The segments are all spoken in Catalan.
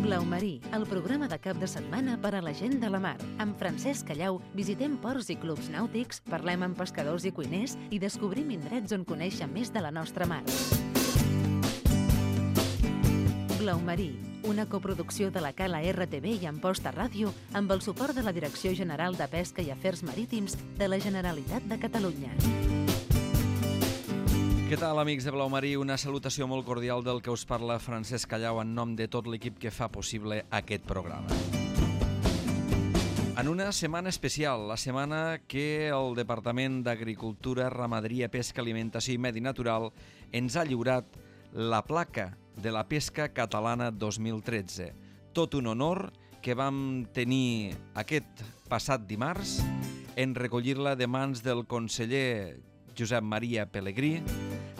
Blau Marí, el programa de cap de setmana per a la gent de la mar. Amb Francesc Callau visitem ports i clubs nàutics, parlem amb pescadors i cuiners i descobrim indrets on conèixer més de la nostra mar. Blau Marí, una coproducció de la Cala RTV i Amposta Ràdio amb el suport de la Direcció General de Pesca i Afers Marítims de la Generalitat de Catalunya. Què tal, amics de Blau Marí? Una salutació molt cordial del que us parla Francesc Callau en nom de tot l'equip que fa possible aquest programa. En una setmana especial, la setmana que el Departament d'Agricultura, Ramaderia, Pesca, Alimentació i Medi Natural ens ha lliurat la placa de la pesca catalana 2013. Tot un honor que vam tenir aquest passat dimarts en recollir-la de mans del conseller Josep Maria Pelegrí,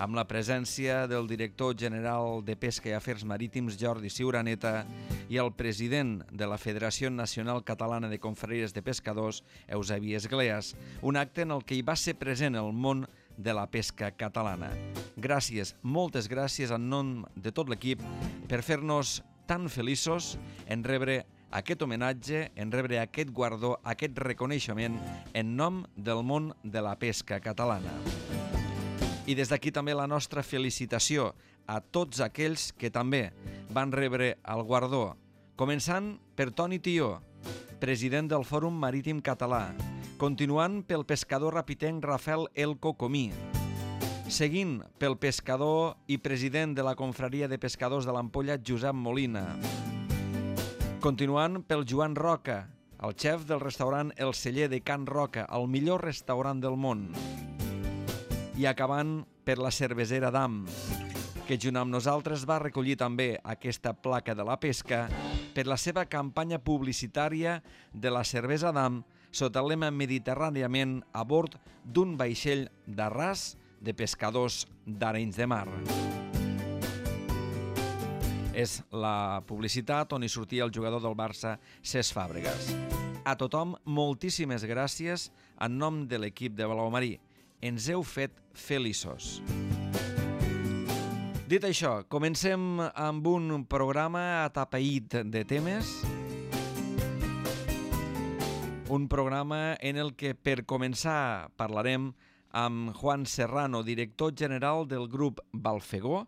amb la presència del director general de Pesca i Afers Marítims, Jordi Ciuraneta, i el president de la Federació Nacional Catalana de Confraries de Pescadors, Eusebi Esgleas, un acte en el que hi va ser present el món de la pesca catalana. Gràcies, moltes gràcies en nom de tot l'equip per fer-nos tan feliços en rebre aquest homenatge, en rebre aquest guardó, aquest reconeixement en nom del món de la pesca catalana. I des d'aquí també la nostra felicitació a tots aquells que també van rebre el guardó, començant per Toni Tió, president del Fòrum Marítim Català, continuant pel pescador rapitenc Rafael Elko Comí, seguint pel pescador i president de la Confraria de Pescadors de l'Ampolla Josep Molina, continuant pel Joan Roca, el xef del restaurant El Celler de Can Roca, el millor restaurant del món, i acabant per la cervesera Dam, que junt amb nosaltres va recollir també aquesta placa de la pesca per la seva campanya publicitària de la cervesa Dam sota el lema Mediterràniament a bord d'un vaixell d'arràs de pescadors d'Arenys de Mar. És la publicitat on hi sortia el jugador del Barça, Cesc Fàbregas. A tothom, moltíssimes gràcies en nom de l'equip de Blau Marí. Ens heu fet feliços. Dit això, comencem amb un programa atapeït de temes. Un programa en el que, per començar, parlarem amb Juan Serrano, director general del grup Balfegó,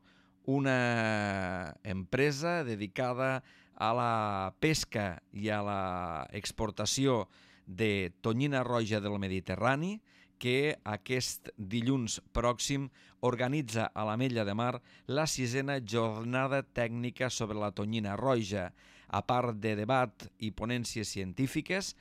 una empresa dedicada a la pesca i a l'exportació de tonyina roja del Mediterrani, que aquest dilluns pròxim organitza a l'Ametlla de Mar la 6a jornada tècnica sobre la tonyina roja. A part de debat i ponències científiques,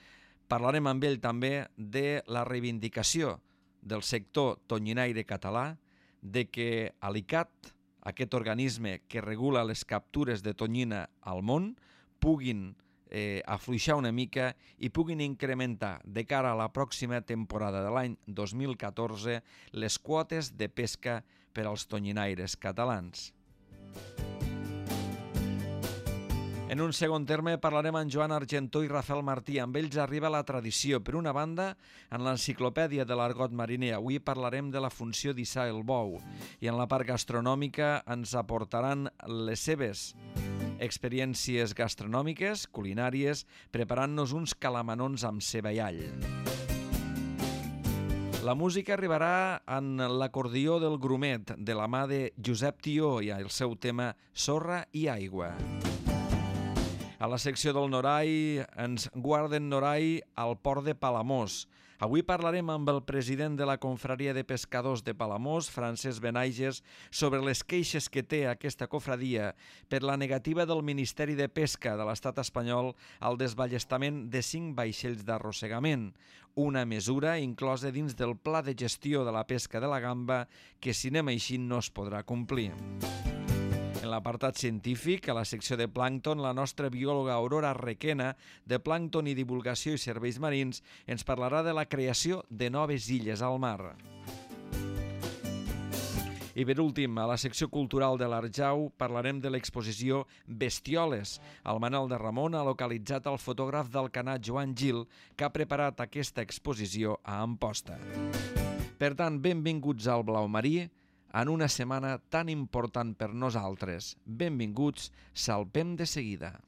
parlarem amb ell també de la reivindicació del sector tonyinaire català, de que l'ICAT, aquest organisme que regula les captures de tonyina al món, puguin afluixar una mica i puguin incrementar de cara a la pròxima temporada de l'any 2014 les quotes de pesca per als tonyinaires catalans. En un segon terme parlarem amb Joan Argentó i Rafael Martí. Amb ells arriba la tradició. Per una banda, en l'enciclopèdia de l'argot mariner avui parlarem de la funció d'issar el bou i en la part gastronòmica ens aportaran les seves experiències gastronòmiques, culinàries, preparant-nos uns calamanons amb ceba i all. La música arribarà en l'acordió del Grumet, de la mà de Josep Tió i el seu tema Sorra i aigua. A la secció del Norai ens guarden Norai al port de Palamós. Avui parlarem amb el president de la Confraria de Pescadors de Palamós, Francesc Benaiges, sobre les queixes que té aquesta cofradia per la negativa del Ministeri de Pesca de l'Estat espanyol al desballestament de 5 vaixells d'arrossegament, una mesura inclosa dins del Pla de Gestió de la Pesca de la Gamba que, si anem així, no es podrà complir. En l'apartat científic, a la secció de plàncton, la nostra biòloga Aurora Requena, de Plàncton i Divulgació i Serveis Marins, ens parlarà de la creació de noves illes al mar. I per últim, a la secció cultural de l'Arjau, parlarem de l'exposició Bestioles. El Manel de Ramon ha localitzat el fotògraf d'Alcanar Joan Gil, que ha preparat aquesta exposició a Amposta. Per tant, benvinguts al Blau Marí, en una setmana tan important per nosaltres. Benvinguts, salpem de seguida.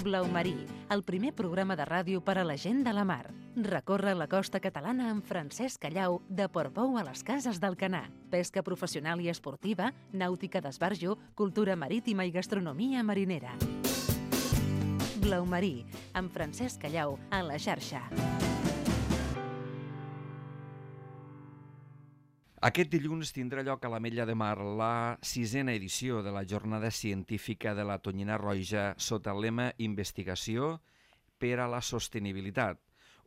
Blau Marí, el primer programa de ràdio per a la gent de la mar. Recorre la costa catalana amb Francesc Callau, de Portbou a les Cases d'Alcanar. Pesca professional i esportiva, nàutica d'esbarjo, cultura marítima i gastronomia marinera. Blau Marí, amb Francesc Callau, a la xarxa. Aquest dilluns tindrà lloc a l'Ametlla de Mar la 6a edició de la Jornada Científica de la Tonyina Roja sota el lema Investigació per a la Sostenibilitat,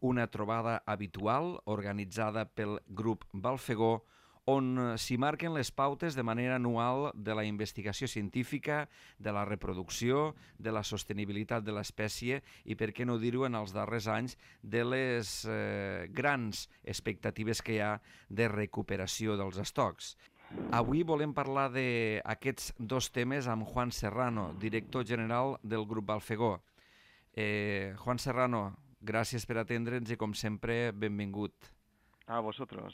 una trobada habitual organitzada pel grup Balfegó on s'hi marquen les pautes de manera anual de la investigació científica, de la reproducció, de la sostenibilitat de l'espècie i, per què no dir-ho, en els darrers anys, de les grans expectatives que hi ha de recuperació dels estocs. Avui volem parlar d'aquests dos temes amb Juan Serrano, director general del grup Balfegó. Juan Serrano, gràcies per atendre'ns i, com sempre, benvingut. A vosotros.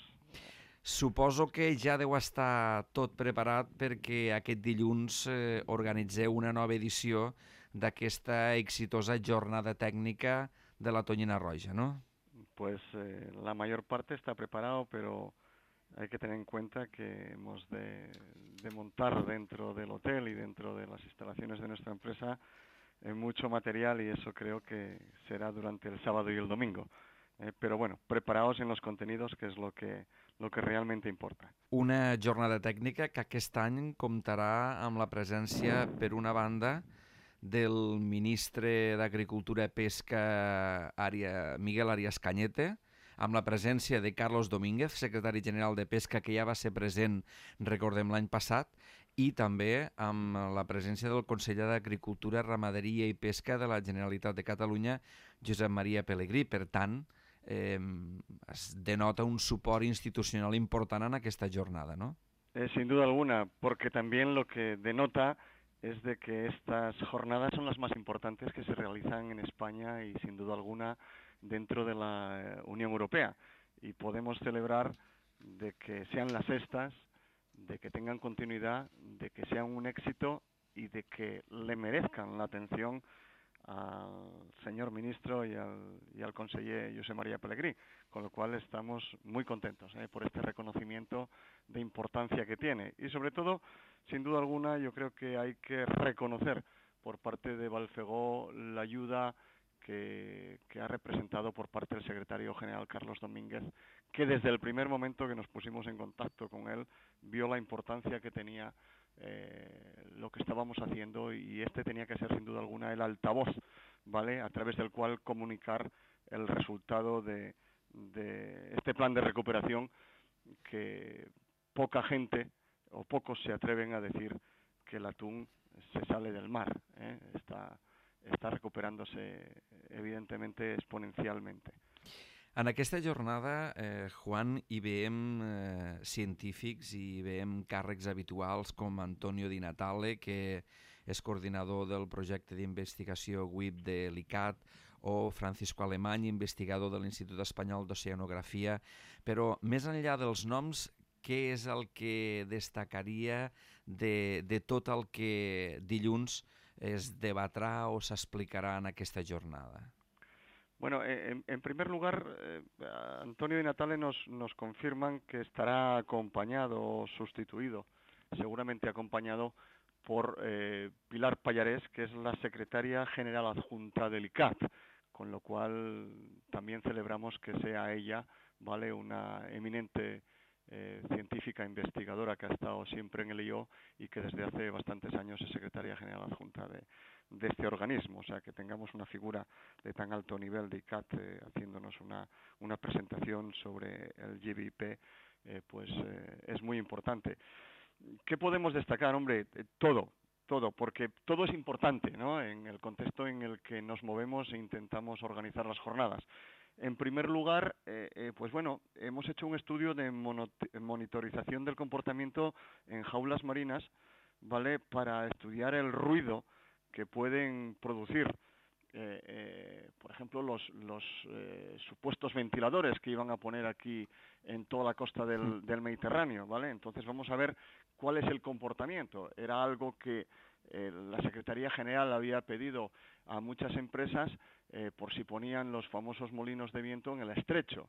Suposo que ja deu estar tot preparat perquè aquest dilluns organitzeu una nova edició d'aquesta exitosa jornada tècnica de la Tonyina Roja, ¿no? Pues la mayor parte está preparado, pero hay que tener en cuenta que hemos de montar dentro del hotel y dentro de las instalaciones de nuestra empresa mucho material y eso creo que será durante el sábado y el domingo. Pero bueno, preparaos en los contenidos, que es lo que realmente importa. Una jornada tècnica que aquest any comptarà amb la presència, per una banda, del ministre d'Agricultura i Pesca Miguel Arias Cañete, amb la presència de Carlos Domínguez, secretari general de Pesca, que ja va ser present, recordem, l'any passat, i també amb la presència del conseller d'Agricultura, Ramaderia i Pesca de la Generalitat de Catalunya, Josep Maria Pelegrí. Per tant, es denota un suport institucional important en aquesta jornada, ¿no? Sin duda alguna, porque también lo que denota es de que estas jornadas son las más importantes que se realizan en España y sin duda alguna dentro de la Unión Europea. Y podemos celebrar de que sean las sextas, de que tengan continuidad, de que sean un éxito y de que le merezcan la atención al señor ministro y al conseller Josep Maria Pelegrí, con lo cual estamos muy contentos por este reconocimiento de importancia que tiene. Y sobre todo, sin duda alguna, yo creo que hay que reconocer por parte de Balfegó la ayuda que ha representado por parte del secretario general Carlos Domínguez, que desde el primer momento que nos pusimos en contacto con él, vio la importancia que tenía lo que estábamos haciendo y este tenía que ser sin duda alguna el altavoz, ¿vale?, a través del cual comunicar el resultado de este plan de recuperación, que poca gente o pocos se atreven a decir que el atún se sale del mar, está recuperándose evidentemente exponencialmente. En aquesta jornada, Juan, hi veiem científics i veiem càrrecs habituals com Antonio Di Natale, que és coordinador del projecte d'investigació WIP de l'ICAT, o Francisco Alemany, investigador de l'Institut Espanyol d'Oceanografia. Però més enllà dels noms, què és el que destacaria de tot el que dilluns es debatrà o s'explicarà en aquesta jornada? Bueno, en primer lugar, Antonio Di Natale nos confirman que estará acompañado o sustituido, seguramente acompañado por Pilar Pallarés, que es la secretaria general adjunta del ICAT, con lo cual también celebramos que sea ella, ¿vale?, una eminente científica investigadora que ha estado siempre en el IO y que desde hace bastantes años es secretaria general adjunta de este organismo. O sea, que tengamos una figura de tan alto nivel de ICAT haciéndonos una presentación sobre el GBIP, es muy importante. ¿Qué podemos destacar? Hombre, todo, porque todo es importante, ¿no?, en el contexto en el que nos movemos e intentamos organizar las jornadas. En primer lugar, pues bueno, hemos hecho un estudio de monitorización del comportamiento en jaulas marinas, ¿vale?, para estudiar el ruido que pueden producir por ejemplo, los supuestos ventiladores que iban a poner aquí en toda la costa del Mediterráneo, ¿vale? Entonces vamos a ver cuál es el comportamiento. Era algo que la Secretaría General había pedido a muchas empresas por si ponían los famosos molinos de viento en el estrecho.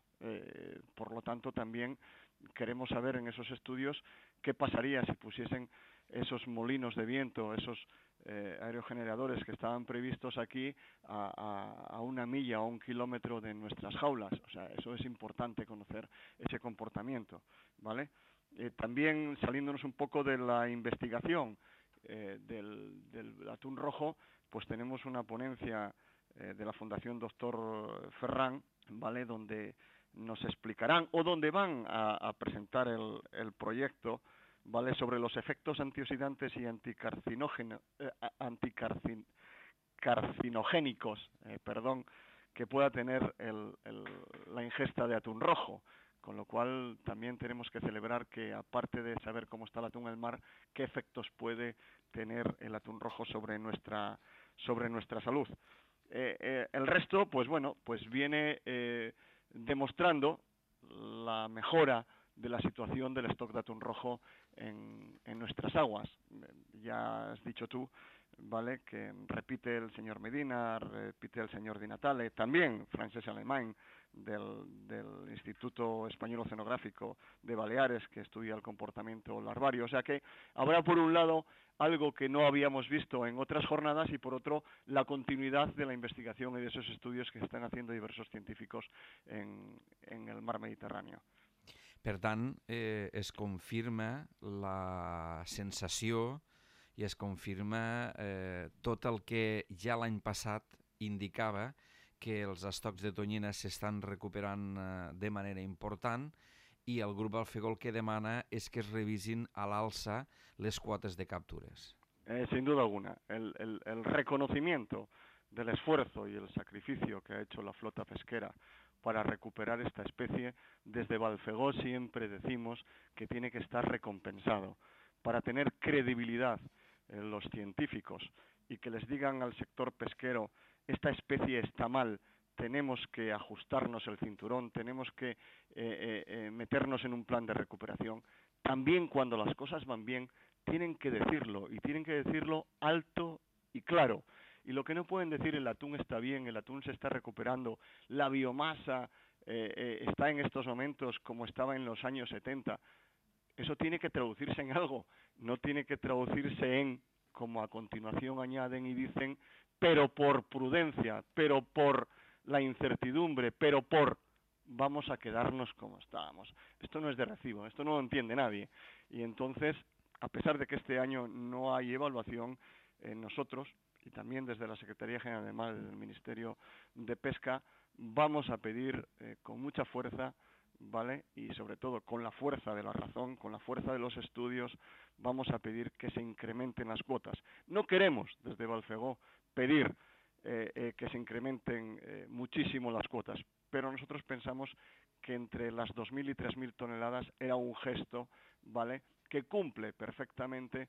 Por lo tanto, también queremos saber en esos estudios qué pasaría si pusiesen esos molinos de viento, esos aerogeneradores que estaban previstos aquí a 1 milla o 1 kilómetro de nuestras jaulas. O sea, eso es importante conocer ese comportamiento, ¿vale? También saliéndonos un poco de la investigación del atún rojo, pues tenemos una ponencia de la Fundación Doctor Ferran, ¿vale?, donde nos explicarán o donde van a presentar el proyecto, ¿vale?, sobre los efectos antioxidantes y anticarcinogénicos, que pueda tener la ingesta de atún rojo. Con lo cual también tenemos que celebrar que, aparte de saber cómo está el atún en el mar, qué efectos puede tener el atún rojo sobre nuestra salud. El resto, pues bueno, pues viene demostrando la mejora de la situación del stock de atún rojo en nuestras aguas. Ya has dicho tú, ¿vale?, que repite el señor Medina, repite el señor Di Natale, también Francesc Alemany del Instituto Español Oceanográfico de Baleares, que estudia el comportamiento larvario. O sea que habrá, por un lado, algo que no habíamos visto en otras jornadas, y por otro, la continuidad de la investigación y de esos estudios que están haciendo diversos científicos en el mar Mediterráneo. Per tant, es confirma la sensació i es confirma tot el que ja l'any passat indicava, que els estocs de tonyina s'estan recuperant de manera important, i el grup Alfegó el que demana és que es revisin a l'alça les quotes de captures. Sin duda alguna. El reconocimiento del esfuerzo y el sacrificio que ha hecho la flota pesquera para recuperar esta especie, desde Balfegó siempre decimos que tiene que estar recompensado. Para tener credibilidad en los científicos y que les digan al sector pesquero: esta especie está mal, tenemos que ajustarnos el cinturón, tenemos que meternos en un plan de recuperación. También, cuando las cosas van bien, tienen que decirlo, y tienen que decirlo alto y claro. Y lo que no pueden decir: el atún está bien, el atún se está recuperando, la biomasa está en estos momentos como estaba en los años 70. Eso tiene que traducirse en algo, no tiene que traducirse en, como a continuación añaden y dicen, pero por prudencia, pero por la incertidumbre, pero vamos a quedarnos como estábamos. Esto no es de recibo, esto no lo entiende nadie. Y entonces, a pesar de que este año no hay evaluación, nosotros, y también desde la Secretaría General del Mar, del Ministerio de Pesca, vamos a pedir con mucha fuerza, ¿vale?, y sobre todo con la fuerza de la razón, con la fuerza de los estudios, vamos a pedir que se incrementen las cuotas. No queremos, desde Balfegó, pedir que se incrementen muchísimo las cuotas, pero nosotros pensamos que entre las 2.000 y 3.000 toneladas era un gesto, ¿vale?, que cumple perfectamente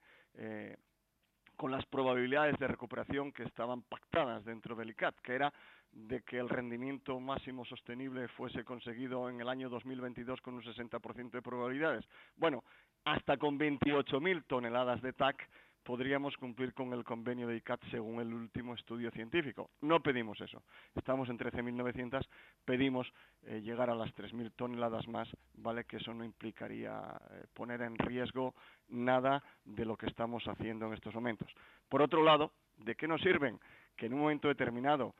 con las probabilidades de recuperación que estaban pactadas dentro del ICCAT, que era de que el rendimiento máximo sostenible fuese conseguido en el año 2022 con un 60% de probabilidades. Bueno, hasta con 28.000 toneladas de TAC podríamos cumplir con el convenio de ICCAT según el último estudio científico. No pedimos eso. Estamos en 13.900, pedimos llegar a las 3.000 toneladas más, ¿vale?, que eso no implicaría poner en riesgo nada de lo que estamos haciendo en estos momentos. Por otro lado, ¿de qué nos sirven que en un momento determinado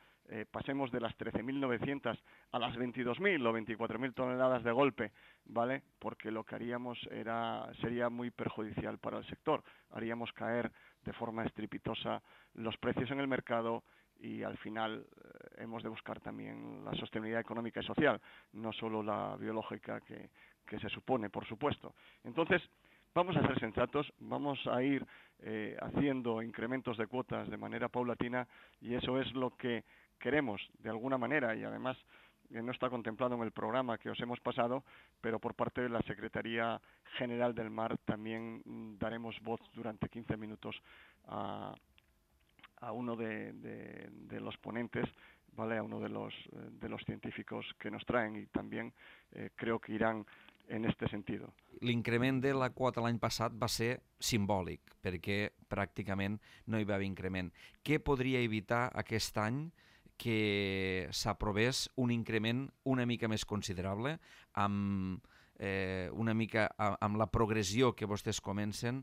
pasemos de las 13.900 a las 22.000 o 24.000 toneladas de golpe, ¿vale? Porque lo que haríamos sería muy perjudicial para el sector. Haríamos caer de forma estrepitosa los precios en el mercado, y al final hemos de buscar también la sostenibilidad económica y social, no solo la biológica que se supone, por supuesto. Entonces, vamos a ser sensatos, vamos a ir haciendo incrementos de cuotas de manera paulatina, y eso es lo que queremos de alguna manera, y además no está contemplado en el programa que os hemos pasado, pero por parte de la Secretaría General del Mar también daremos voz durante 15 minutos a a uno de los ponentes, ¿vale? A uno de los científicos que nos traen, y también creo que irán en este sentit. L'increment de la quota l'any passat va ser simbòlic, perquè pràcticament no hi va haver increment. Què podria evitar aquest any que s'aprovés un increment una mica més considerable, amb la progressió que vostès comencen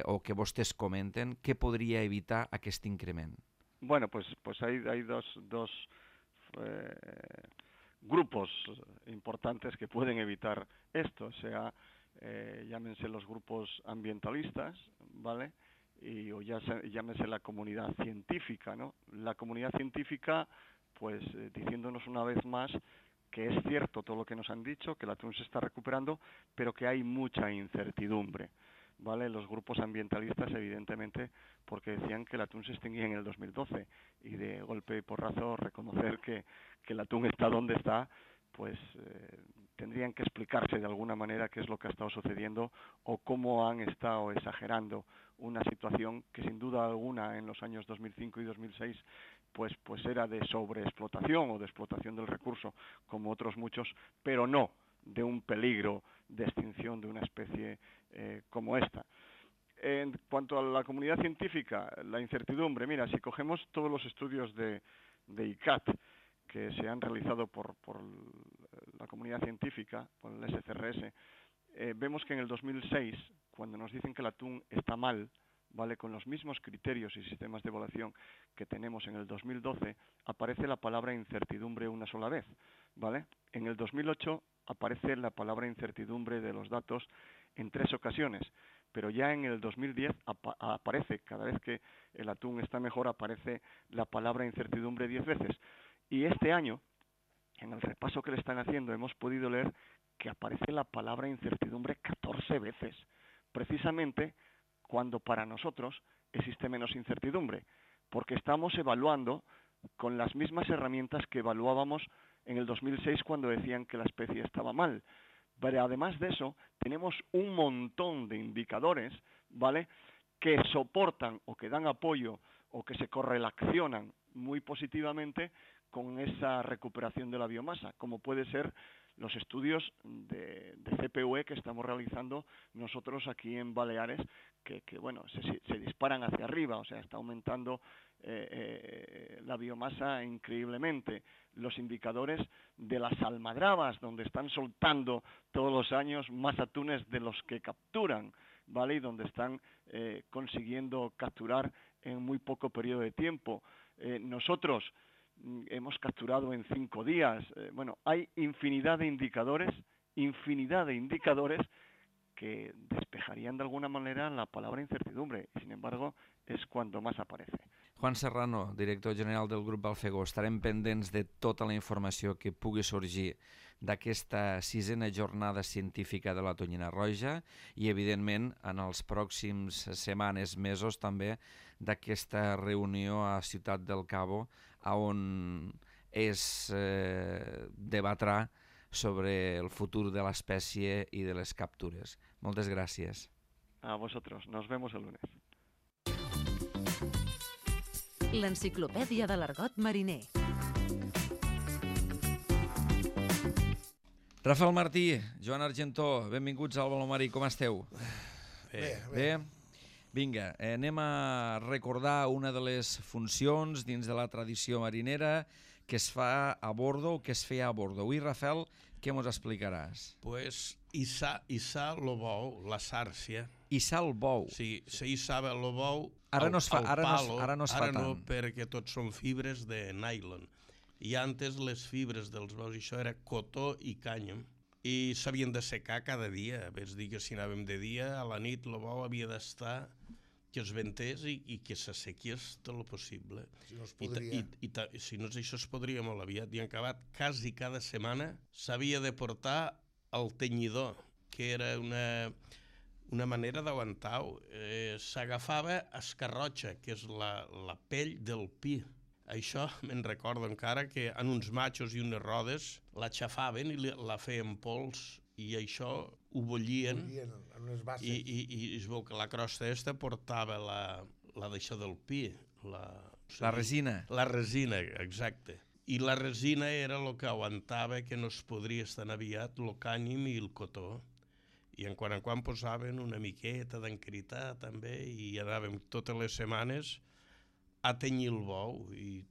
o que vostès comenten? Què podria evitar aquest increment? Bueno, pues hay dos grupos importantes que pueden evitar esto, o sea, llámense los grupos ambientalistas, ¿vale? O llámese la comunidad científica, ¿no? La comunidad científica, pues diciéndonos una vez más que es cierto todo lo que nos han dicho, que el atún se está recuperando, pero que hay mucha incertidumbre, ¿vale? Los grupos ambientalistas, evidentemente, porque decían que el atún se extinguía en el 2012, y de golpe y porrazo reconocer que el atún está donde está, pues tendrían que explicarse de alguna manera qué es lo que ha estado sucediendo o cómo han estado exagerando una situación que sin duda alguna en los años 2005 y 2006 pues era de sobreexplotación o de explotación del recurso, como otros muchos, pero no de un peligro de extinción de una especie como esta. En cuanto a la comunidad científica, la incertidumbre, mira, si cogemos todos los estudios de ICAT que se han realizado por la comunidad científica, por el SCRS, vemos que en el 2006, cuando nos dicen que el atún está mal, ¿vale? Con los mismos criterios y sistemas de evaluación que tenemos en el 2012, aparece la palabra incertidumbre una sola vez, ¿vale? En el 2008 aparece la palabra incertidumbre de los datos en 3 ocasiones, pero ya en el 2010 aparece, cada vez que el atún está mejor, aparece la palabra incertidumbre 10 veces. Y este año, en el repaso que le están haciendo, hemos podido leer que aparece la palabra incertidumbre 14 veces, precisamente cuando para nosotros existe menos incertidumbre, porque estamos evaluando con las mismas herramientas que evaluábamos en el 2006 cuando decían que la especie estaba mal. Pero además de eso, tenemos un montón de indicadores, ¿vale?, que soportan o que dan apoyo o que se correlacionan muy positivamente con esa recuperación de la biomasa, como puede ser los estudios de CPUE que estamos realizando nosotros aquí en Baleares, que bueno, se disparan hacia arriba, o sea, está aumentando la biomasa increíblemente. Los indicadores de las almadrabas, donde están soltando todos los años más atunes de los que capturan, ¿vale? Y donde están consiguiendo capturar en muy poco periodo de tiempo. Nosotros hemos capturado en 5 días. Bueno, hay infinidad de indicadores que despejarían de alguna manera la palabra incertidumbre. Sin embargo, es cuando más aparece. Juan Serrano, director general del grup Alfegó, estarem pendents de tota la informació que pugui sorgir d'aquesta 6a jornada científica de la tonyina roja i, evidentment, en els pròxims setmanes, mesos, també, d'aquesta reunió a Ciutat del Cabo, on es debatrà sobre el futur de l'espècie i de les captures. Moltes gràcies. A vosotros. Nos vemos el lunes. L'enciclopèdia de l'argot mariner. Rafael Martí, Joan Argentó, benvinguts al Baló Marí, com esteu? Bé. Vinga, anem a recordar una de les funcions dins de la tradició marinera que es fa a bordo o que es feia a bordo. Avui, Rafael, què ens explicaràs? Pues hissar el bou, la sàrcia. Hissar el bou? Sí, se hissava el bou ara no es fa ara no, tant. perquè tots són fibres de nylon. I antes les fibres dels bous, això era cotó i cànyam, i s'havien de secar cada dia. És dir, que si anàvem de dia, a la nit el bou havia d'estar que es ventés i que s'assequies tot el possible. Si no es podria. Si no, això es podria molt aviat. I en acabat, quasi cada setmana s'havia de portar el tenyidor, que era una manera d'aguantar-ho. S'agafava escarrotxa, que és la pell del pi. Això me'n recordo encara, que en uns matxos i unes rodes la xafaven i la feien pols, i això ho bullien en unes basses. I es veu que la crosta esta portava la d'això del pi, La resina. La resina, exacte. I la resina era el que aguantava que no es podria tan aviat el cànim i el cotó. I en quan posaven una miqueta d'encritar també i anàvem totes les setmanes a tenyir el bou i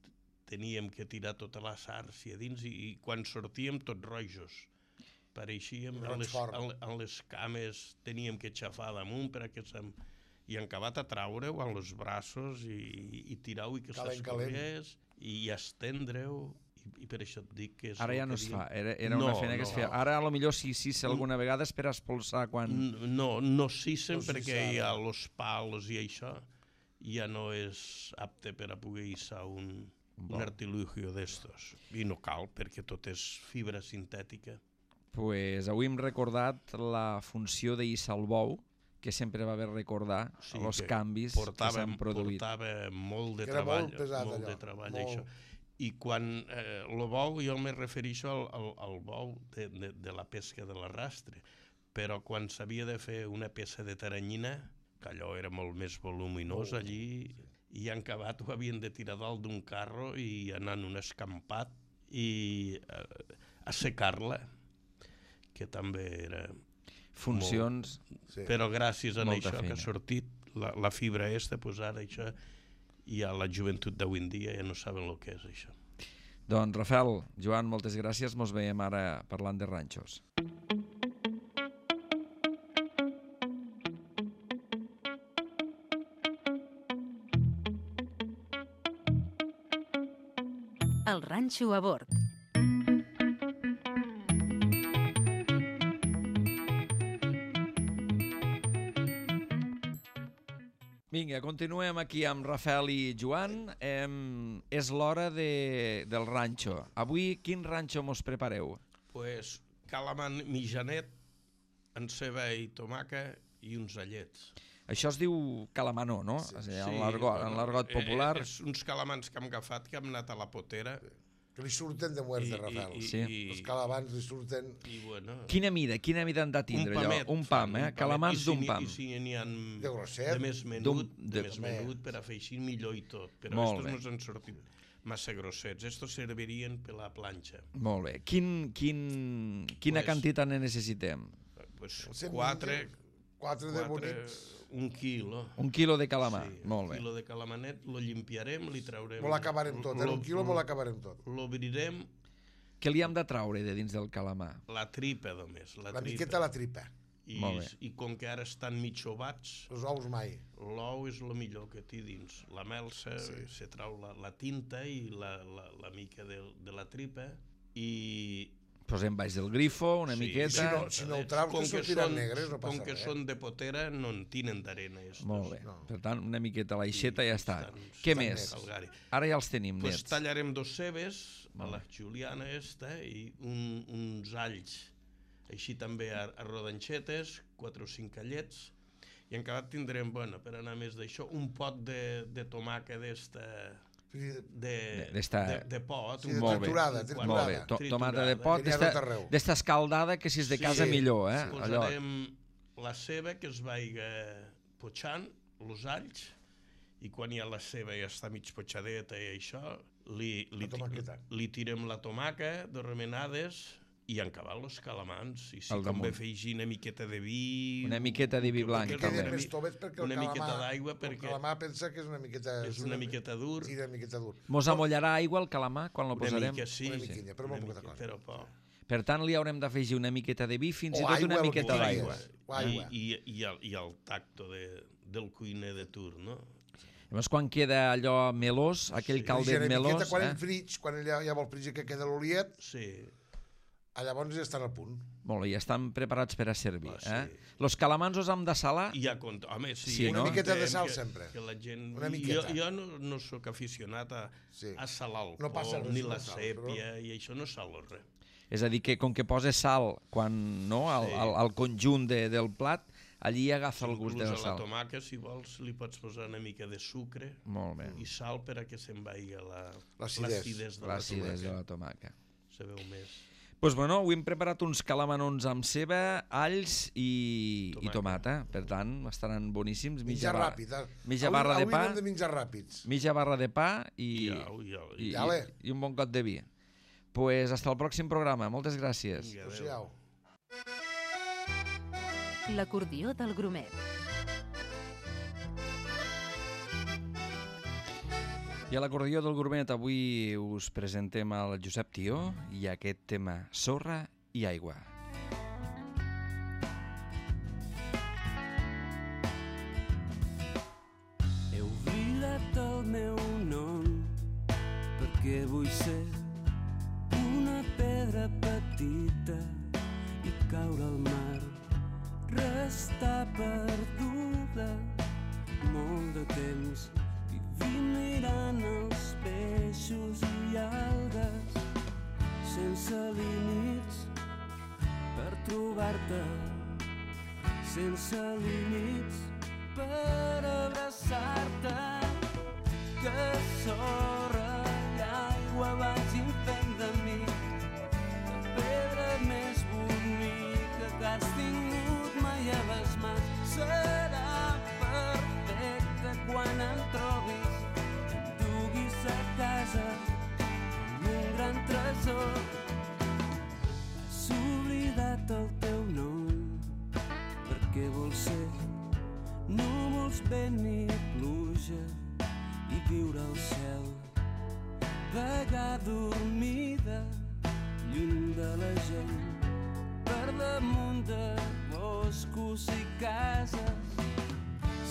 teníem que tirar tota la sàrcia dins i quan sortíem tots rojos. Pareixíem en les cames, teníem que xafar damunt perquè i han acabat a traure-ho amb els braços i tirar-ho i que s'escorrés i estendre-ho. I per això et dic que és... Ara ja no es fa, era una feina que es feia. Ara potser si alguna vegada és per espolsar quan... No s'hissen perquè hi ha els pals i això ja no és apte per a poder hissar un artilugio d'estos. I no cal perquè tot és fibra sintètica. Pues avui hem recordat la funció de hissar el bou, que sempre va haver recordar els canvis que s'han produït. Portava molt de treball, molt de treball això. I quan el bou, jo me refereixo al bou de la pesca de l'arrastre, però quan s'havia de fer una peça de taranyina, que allò era molt més voluminós allí, i en acabat ho havien de tirar dalt d'un carro i anar en un escampat i assecar-la, que també era... Funcions... Però gràcies a això que ha sortit la fibra pues ara això... i a la joventut d'avui en dia ja no saben el que és això. Doncs Rafael, Joan, moltes gràcies. Mos veiem ara parlant de ranxos. El ranxo a bord. Vinga, continuem aquí amb Rafael i Joan. És l'hora del ranxo. Avui, quin ranxo mos prepareu? Pues calamar mitjanet, amb ceba i tomaca i uns allets. Això es diu calamanó, no? Sí, en l'argot popular. És uns calamans que hem agafat, que hem anat a la potera. Que li surten de muerte, Rafael. Els calamans li surten... Quina mida han de tindre allò? Un pam, calamans d'un pam. I si n'hi ha de grosset, de més menut per a fer així millor i tot. Però estos no s'han sortit massa grossets. Estos servirien per la planxa. Molt bé. Quina quantitat ne necessitem? Quatre de bonics. Un quilo. Un quilo de calamar, molt bé. Un quilo de calamanet, lo limpiarem, li traurem... Molt acabarem tot, en un quilo molt acabarem tot. L'obrirem... Què li hem de traure de dins del calamar? La tripa, només. La miqueta la tripa. I com que ara estan mig ovats... Els ous mai. L'ou és el millor que té dins. La melsa, se trau la tinta i la mica de la tripa i... Posem baix del grifo, una miqueta... Si no ho traus, que sortiran negres, no passa res. Com que són de potera, no en tenen d'arena. Molt bé. Per tant, una miqueta a l'aixeta i ja està. Què més? Ara ja els tenim nets. Pues tallarem dos cebes, a la juliana i uns alls, així també a rodanxetes, 4 o 5 allets, i en acabat tindrem, per anar més d'això, un pot de tomaca d'esta... de pot, triturada. Tomata de pot, d'esta escaldada que si és de casa millor. Posarem la ceba que es vaiga potxant, els alls, i quan ja la ceba ja està mig potxadeta i això, li tirem la tomaca de remenades i han acabat els calamans. I si convé afegir una miqueta de vi... Una miqueta de vi blanc, també. Una miqueta d'aigua, perquè... El calamar pensa que és una miqueta... És una miqueta dur. Sí, una miqueta dur. Mos amollarà aigua el calamar quan lo posarem? Una mica, sí. Una miquilla, però molt poca cosa. Però poc. Per tant, li haurem d'afegir una miqueta de vi, fins i tot una miqueta d'aigua. I el tacto del cuiner de turn, no? Llavors, quan queda allò melós, aquell caldet melós... Quan el frig, quan ja vol fregir que queda l'oliet... Sí. Llavors ja estan al punt. Molt bé, ja estan preparats per a servir. Los calamans els hem de salar? Home, sí. Una miqueta de sal sempre. Una miqueta. Jo no sóc aficionat a salar el col, ni la sèpia, i això no salo res. És a dir, que com que posa sal al conjunt del plat, allí agafa el gust de la sal. A la tomaca, si vols, li pots posar una mica de sucre i sal per a que se'n vagi l'acidesa de la tomaca. tomaca. Se veu més. Doncs bueno, avui hem preparat uns calamanons amb ceba, alls i tomata. Per tant, estaran boníssims. Menjar ràpid. Mitja barra de pa. Avui hem de menjar ràpids. Mitja barra de pa i un bon got de vi. Pues hasta el pròxim programa. Moltes gràcies. Adéu. L'acordió del Grumet. I a l'acordió del Grumet avui us presentem el Josep Tió i aquest tema Sorra i aigua. He oblidat el meu nom perquè vull ser una pedra petita i caure al mar, restar perduda molt de temps, vivint mirant els peixos i algues sense límits per trobar-te, sense límits per abraçar-te, que sorra i aigua vagin fent de mi la pedra més bonica que has tingut mai a les mans. Serà perfecte quan em trobis, em duguis a casa amb un gran tresor. Has oblidat el teu nom perquè vols ser núvols, vent i pluja i viure al cel, vagar dormida lluny de la gent, per damunt de boscos i cases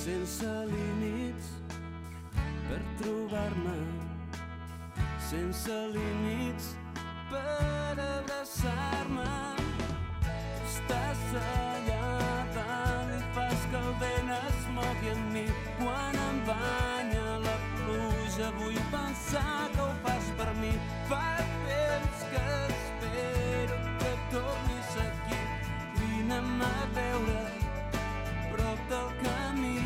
sense límits per trobar-me, sense límits per abraçar-me. Estàs allà dalt i fas que el vent es mogui en mi. Quan em banya la pluja vull pensar que ho fas per mi. Fa temps que espero que tornis aquí. Vine'm a veure prop del camí.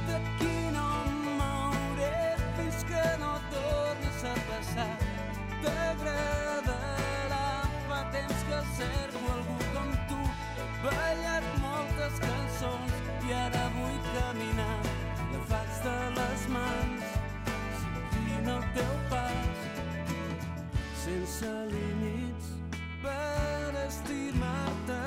D'aquí no em mouré fins que no tornis a passar. T'agradarà, fa temps que cerco algú com tu. He ballat moltes cançons i ara vull caminar agafats de les mans, seguint el teu pas, sense límits per estimar-te.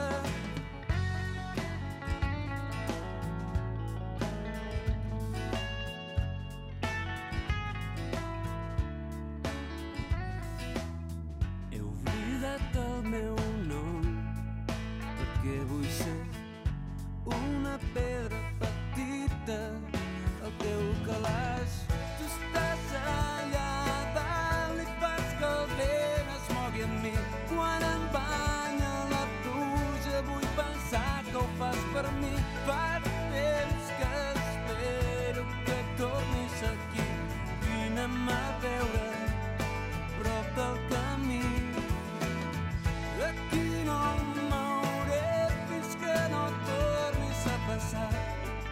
El meu nom perquè vull ser una pedra petita al teu calaix. Tu estàs allà dalt i fas que el vent es mogui en mi. Quan em banya la pluja vull pensar que ho fas per mi. Fa temps que espero que tornis aquí. Vine'm a veure prop del camí. Aquí no em mouré fins que no tornis a passar.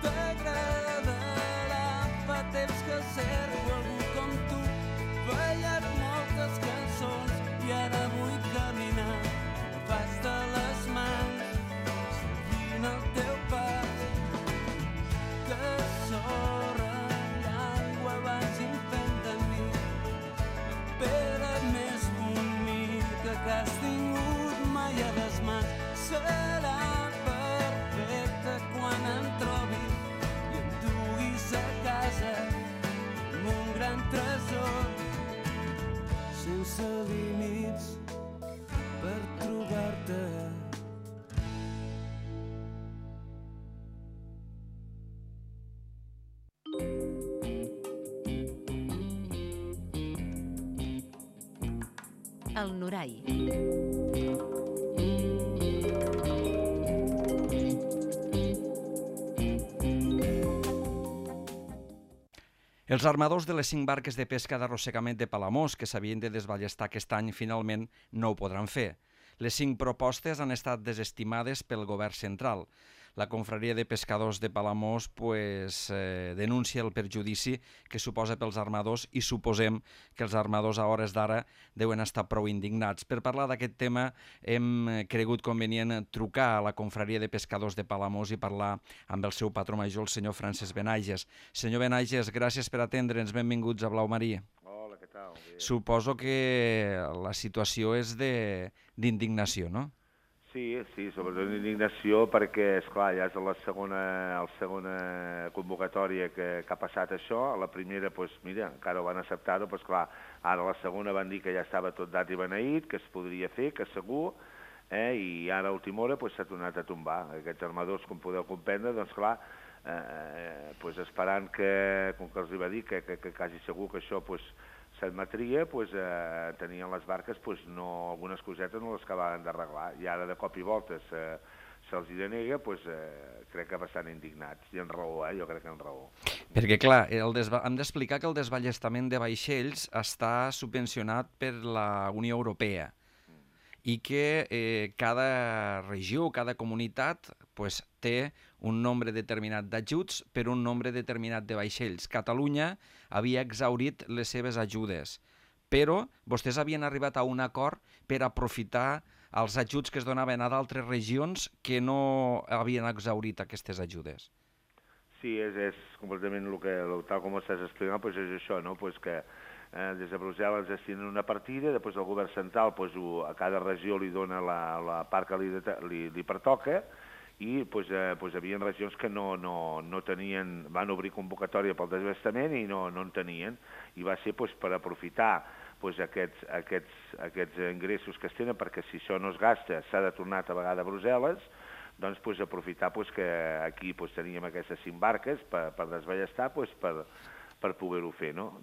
T'agradarà, fa temps que cerco algú com tu. He ballat moltes cançons i ara vull caminar agafats de les mans, seguint el teu pas. Que sorra i aigua vagin fent de mi la pedra més bonica que has tingut mai a les mans. Serà perfecte quan em trobis i em duguis a casa amb un gran tresor, sense límits per trobar-te. El Norai. Els armadors de les 5 barques de pesca d'arrossegament de Palamós que s'havien de desballestar aquest any finalment no ho podran fer. Les 5 propostes han estat desestimades pel govern central. la confraria de pescadors de Palamós denuncia el perjudici que suposa pels armadors i suposem que els armadors a hores d'ara deuen estar prou indignats. Per parlar d'aquest tema hem cregut convenient trucar a la confraria de pescadors de Palamós i parlar amb el seu patró major, el senyor Francesc Benaiges. Senyor Benaiges, gràcies per atendre'ns, benvinguts a Blau Marí. Hola, què tal? Suposo que la situació és d'indignació, no? Sí, sobretot d'indignació perquè, esclar, ja és la segona convocatòria que ha passat això. A la primera, doncs, mira, encara ho van acceptar-ho, però, esclar, ara a la segona van dir que ja estava tot dat i beneït, que es podria fer, que segur, i ara a última hora s'ha tornat a tombar. Aquests armadors, com podeu comprendre, doncs, clar, esperant que, com que els va dir que quasi segur que això s'admetria, tenien les barques, algunes cosetes no les acabaven d'arreglar, i ara de cop i volta se'ls denega, crec que bastant indignats, i en raó, jo crec que en raó. Perquè, clar, hem d'explicar que el desballestament de vaixells està subvencionat per la Unió Europea i que cada regió, cada comunitat té un nombre determinat d'ajuts per un nombre determinat de vaixells. Catalunya havia exhaurit les seves ajudes, però vostès havien arribat a un acord per aprofitar els ajuts que es donaven a d'altres regions que no havien exhaurit aquestes ajudes. Sí, és completament tal com ho estàs explicant, és això, no? Que des de Brussel·les destinen una partida, després el govern central a cada regió li dona la part que li pertoca, i hi havia regions que no tenien, van obrir convocatòria pel desballestament i no en tenien, i va ser per aprofitar aquests ingressos que es tenen, perquè si això no es gasta s'ha de tornar a vegada a Brussel·les, doncs aprofitar que aquí teníem aquestes 5 barques per desballestar, per poder-ho fer, no?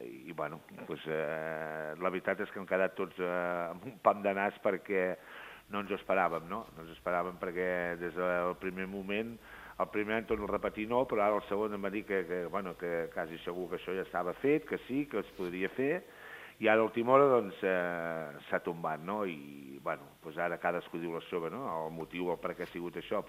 I, bueno, la veritat és que hem quedat tots amb un pam de nas perquè no ens ho esperàvem, no? No ens ho esperàvem perquè des del primer moment, el primer any torno a repetir no, però ara el segon em va dir que quasi segur que això ja estava fet, que sí, que es podria fer, i ara a l'última hora doncs s'ha tombat, no? I, bueno, ara cadascú diu la seva, no? El motiu, per què ha sigut això,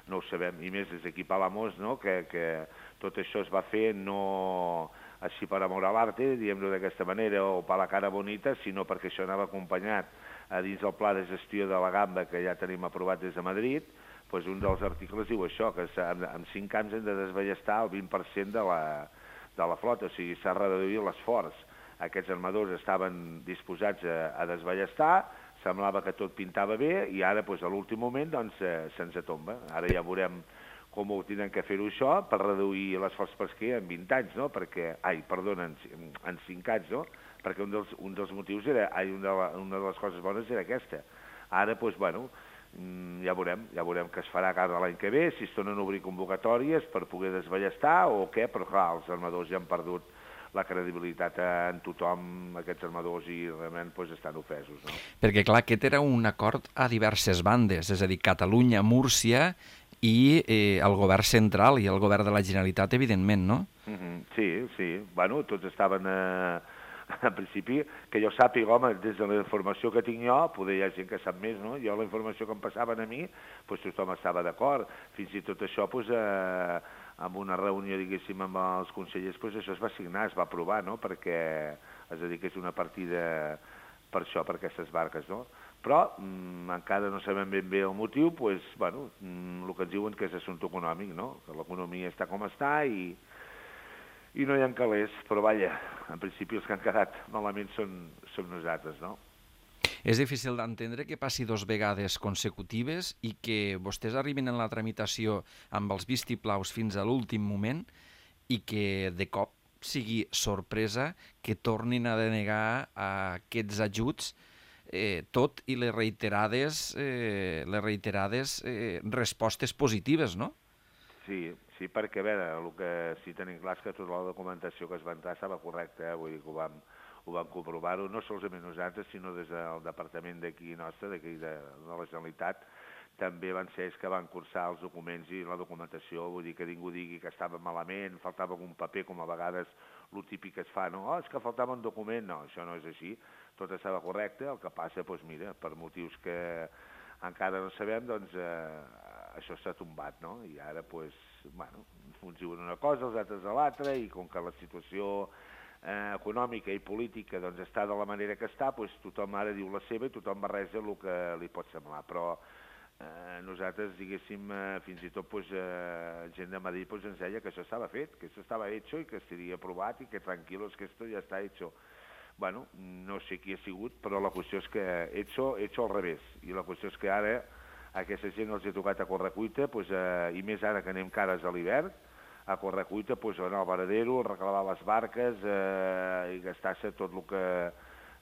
no ho sabem, i més des d'aquí a Palamós, no? Que tot això es va fer no així per amor a l'arte, diguem-ho d'aquesta manera, o per la cara bonita, sinó perquè això anava acompanyat a dins del pla de gestió de la gamba que ja tenim aprovat des de Madrid. Un dels articles diu això, que en 5 anys hem de desballestar el 20% de la flota, o sigui, s'ha reduït l'esforç. Aquests armadors estaven disposats a desballestar, semblava que tot pintava bé, i ara, a l'últim moment, se'ns tomba. Ara ja veurem com ho tenen que fer-ho això per reduir l'esforç pesquer en 20 anys, no? En 5 anys, no? Perquè un dels motius era, una de les coses bones era aquesta. Ara, ja veurem què es farà cada l'any que ve, si es tornen a obrir convocatòries per poder desballestar o què, però clar, els armadors ja han perdut la credibilitat en tothom, aquests armadors, i realment estan ofesos, no? Perquè, clar, aquest era un acord a diverses bandes, és a dir, Catalunya, Múrcia i el govern central i el govern de la Generalitat, evidentment, no? Sí. Bueno, tots estaven... En principi, que jo sàpiga, home, des de la informació que tinc jo, poder hi ha gent que sap més, no? Jo la informació que em passaven a mi, tothom estava d'acord. Fins i tot això, en una reunió, diguéssim, amb els consellers, això es va signar, es va aprovar, no? Perquè es dediqués una partida per això, per aquestes barques, no? Però encara no sabem ben bé el motiu, el que ens diuen que és assumpte econòmic, no? Que l'economia està com està i no hi ha calés, però vaja, en principi els que han quedat malament són nosaltres, no? És difícil d'entendre que passi 2 vegades consecutives i que vostès arribin en la tramitació amb els vistiplaus fins a l'últim moment i que de cop sigui sorpresa que tornin a denegar aquests ajuts, tot i les reiterades respostes positives, no? Sí, perquè, a veure, el que sí tenim clar és que tota la documentació que es va entrar estava correcta, vull dir que ho vam comprovar-ho, no solament nosaltres, sinó des del departament d'aquí nostre, d'aquí de la Generalitat, també van ser ells que van cursar els documents i la documentació, vull dir que ningú digui que estava malament, faltava algun paper, com a vegades el típic que es fa, no? És que faltava un document, no, això no és així, tot estava correcte, el que passa, mira, per motius que encara no sabem, doncs això s'ha tombat, no? I ara, doncs, bueno, uns diuen una cosa, els altres a l'altra, i com que la situació econòmica i política doncs està de la manera que està, doncs tothom ara diu la seva i tothom barreja el que li pot semblar, però nosaltres, diguéssim, fins i tot gent de Madrid ens deia que això estava fet, que això estava hecho i que estaria aprovat i que tranquilos, que esto ja està hecho. Bueno, no sé qui ha sigut, però la qüestió és que hecho al revés, i la qüestió és que ara a aquesta gent els ha tocat a correcuita, i més ara que anem cares a l'hivern, a correcuita, anar al varadero, reclamar les barques i gastar-se tot el que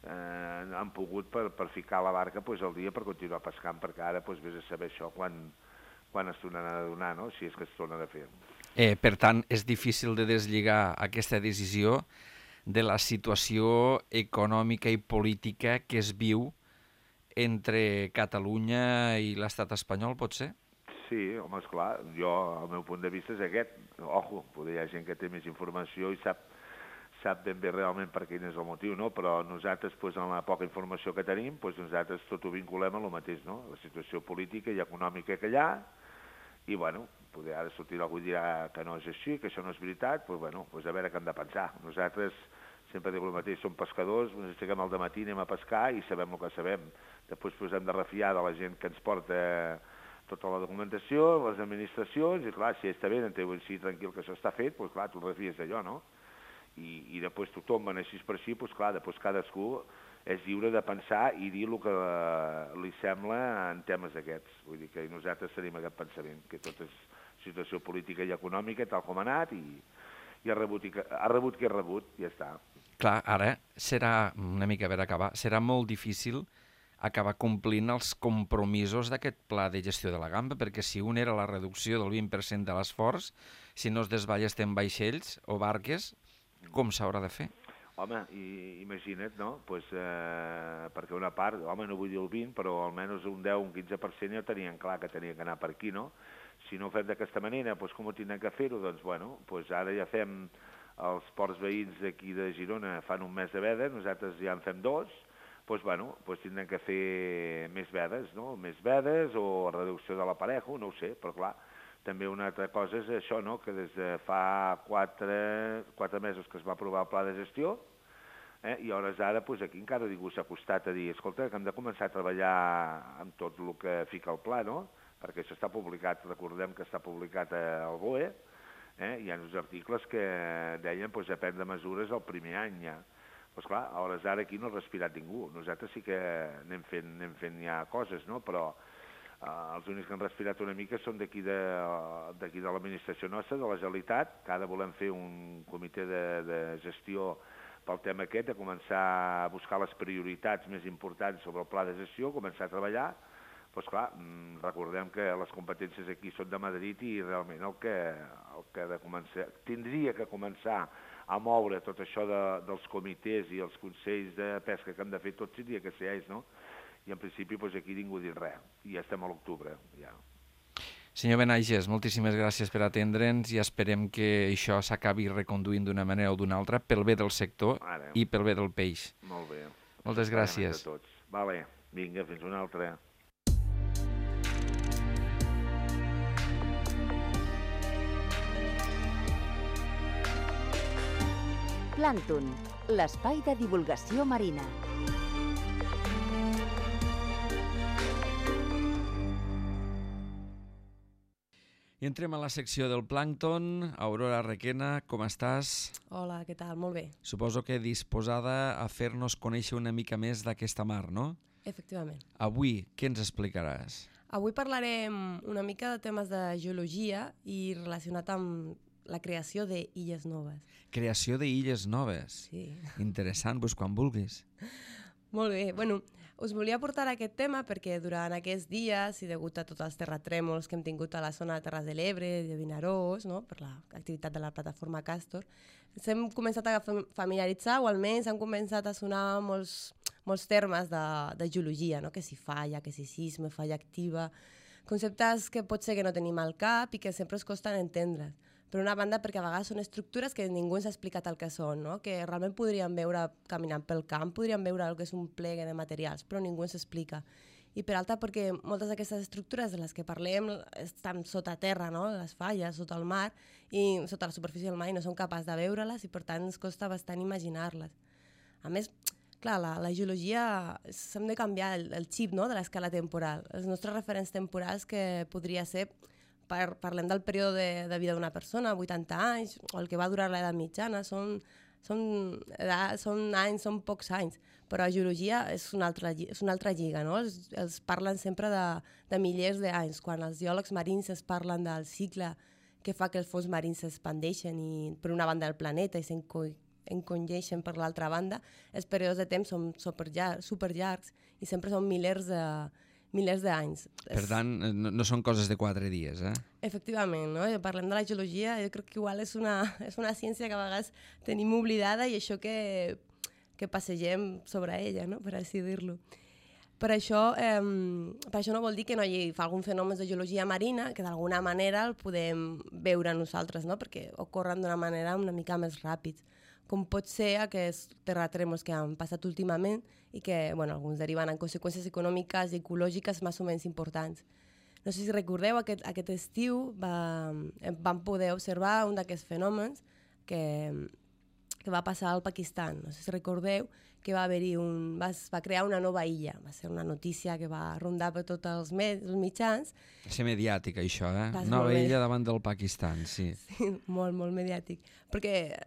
han pogut per ficar la barca al dia per continuar pescant, perquè ara vés a saber això quan es tornaran a donar, no? Si és que es tornen a fer. Per tant, és difícil de deslligar aquesta decisió de la situació econòmica i política que es viu entre Catalunya i l'estat espanyol, pot ser? Sí, home, esclar, el meu punt de vista és aquest. Ojo, potser hi ha gent que té més informació i sap ben bé realment per quin és el motiu, no? Però nosaltres, en la poca informació que tenim, nosaltres tot ho vinculem a lo mateix, no? La situació política i econòmica que hi ha, i, bueno, potser ara sortirà algú i dirà que no és així, que això no és veritat, a veure què hem de pensar. Nosaltres sempre dic el mateix, som pescadors, ens aixequem al dematí, anem a pescar i sabem el que sabem. Després hem de refiar de la gent que ens porta tota la documentació, les administracions, i clar, si està bé, entenc si tranquil que això està fet, clar, tu refies d'allò, no? I després tothom va així per així, clar, després cadascú és lliure de pensar i dir el que li sembla en temes d'aquests. Vull dir que nosaltres tenim aquest pensament, que tot és situació política i econòmica, tal com ha anat, i ha rebut qui ha rebut, ja està. Clar, ara serà, una mica per acabar, serà molt difícil acabar complint els compromisos d'aquest pla de gestió de la gamba, perquè si un era la reducció del 20% de l'esforç, si no es desballestem vaixells o barques, com s'haurà de fer? Home, imagina't, no? Perquè una part, home, no vull dir el 20, però almenys un 10, un 15% ja tenien clar que tenien que anar per aquí, no? Si no ho fem d'aquesta manera, com ho tindrem que fer-ho? Doncs ara ja fem, els ports veïns d'aquí de Girona fan un mes de veda, nosaltres ja en fem 2, tindrem que fer més vedes, no? Més vedes o reducció de l'aparejo, no ho sé, però clar, també una altra cosa és això, no? Que des de fa 4 mesos que es va aprovar el pla de gestió, i a hores d'ara aquí encara ningú s'ha acostat a dir escolta, que hem de començar a treballar amb tot el que fica el pla, no? Perquè això està publicat, recordem que està publicat al BOE, hi ha uns articles que deien a prendre mesures el primer any ja. Doncs clar, a hores d'ara aquí no ha respirat ningú. Nosaltres sí que anem fent ja coses, no? Però els únics que han respirat una mica són d'aquí de l'administració nostra, de la Generalitat, que ara volem fer un comitè de gestió pel tema aquest, de començar a buscar les prioritats més importants sobre el pla de gestió, començar a treballar. Doncs clar, recordem que les competències aquí són de Madrid i realment el que tindria que començar a moure tot això dels comitès i els consells de pesca que hem de fer tots tindria que ser ells, no? I en principi aquí ningú ha dit res, i ja estem a l'octubre, ja. Senyor Benaiges, moltíssimes gràcies per atendre'ns i esperem que això s'acabi reconduint d'una manera o d'una altra pel bé del sector i pel bé del peix. Molt bé. Moltes gràcies. Vale, vinga, fins una altra. Plàncton, l'espai de divulgació marina. I entrem a la secció del plàncton. Aurora Requena, com estàs? Hola, què tal? Molt bé. Suposo que disposada a fer-nos conèixer una mica més d'aquesta mar, no? Efectivament. Avui, què ens explicaràs? Avui parlarem una mica de temes de geologia i relacionat amb la creació d'illes noves. Creació d'illes noves? Sí. Interessant, doncs quan vulguis. Molt bé. Bueno, us volia portar aquest tema perquè durant aquests dies i degut a tots els terratrèmols que hem tingut a la zona de Terres de l'Ebre, de Vinaròs, no? Per l'activitat de la plataforma Castor, ens hem començat a familiaritzar o almenys han començat a sonar molts termes de geologia, no? Que si falla, que si sisme, falla activa, conceptes que pot ser que no tenim al cap i que sempre ens costen entendre. Per una banda, perquè a vegades són estructures que ningú ens ha explicat el que són, no? Que realment podríem veure caminant pel camp, podríem veure el que és un plegue de materials, però ningú ens explica. i per alta perquè moltes d'aquestes estructures de les que parlem estan sota terra, no? Les falles, sota el mar, i sota la superfície del mar, i no som capaços de veure-les i per tant ens costa bastant imaginar-les. A més, clar, la geologia, s'hem de canviar el xip, no?, de l'escala temporal. Els nostres referents temporals que podria ser, parlem del període de vida d'una persona, 80 anys, o el que va durar l'edat mitjana, són anys, són pocs anys, però la geologia és una altra lliga, no? Els parlen sempre de milers d'anys. Quan els geòlegs marins es parlen del cicle que fa que els fons marins s'expandeixen per una banda del planeta i s'encongeixen per l'altra banda, els períodes de temps són superllargs i sempre són milers d'anys. Per tant, no són coses de 4 dies, eh? Efectivament, no? Parlem de la geologia, jo crec que igual és una ciència que a vegades tenim oblidada i això que passegem sobre ella, no?, per així dir-lo. Per això no vol dir que no hi hagi algun fenomen de geologia marina que d'alguna manera el podem veure nosaltres, no?, perquè ocorren d'una manera una mica més ràpida, com pot ser aquests terratrèmols que han passat últimament i que, bueno, alguns deriven en conseqüències econòmiques i ecològiques més o menys importants. No sé si recordeu, aquest estiu vam poder observar un d'aquests fenòmens que va passar al Pakistan. No sé si recordeu que va crear una nova illa. Va ser una notícia que va rondar per tots els mitjans. Va ser mediàtic, això, eh? Nova illa davant del Pakistan, sí. Sí, molt, molt mediàtic.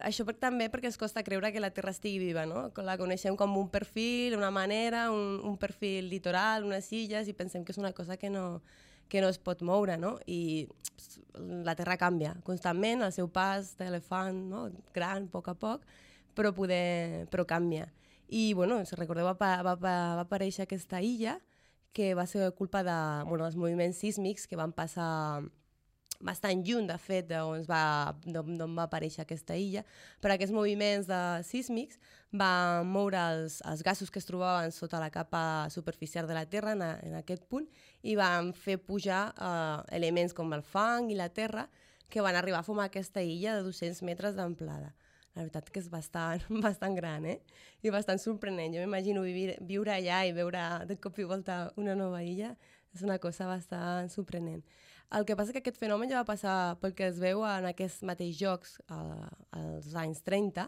Això també perquè ens costa creure que la Terra estigui viva, no? La coneixem com un perfil, una manera, un perfil litoral, unes illes, i pensem que és una cosa que no es pot moure, no? I la Terra canvia constantment, el seu pas d'elefant, no?, gran, a poc, però canvia. I, bueno, si recordeu, va aparèixer aquesta illa que va ser culpa dels moviments sísmics que van passar bastant lluny, de fet, d'on va aparèixer aquesta illa. Per aquests moviments sísmics va moure els gasos que es trobaven sota la capa superficial de la Terra en aquest punt i van fer pujar elements com el fang i la terra que van arribar a formar aquesta illa de 200 metres d'amplada. La veritat que és bastant gran, i bastant sorprenent. Jo m'imagino viure allà i veure de cop i volta una nova illa. És una cosa bastant sorprenent. El que passa és que aquest fenomen ja va passar pel que es veu en aquests mateixos jocs als anys 30,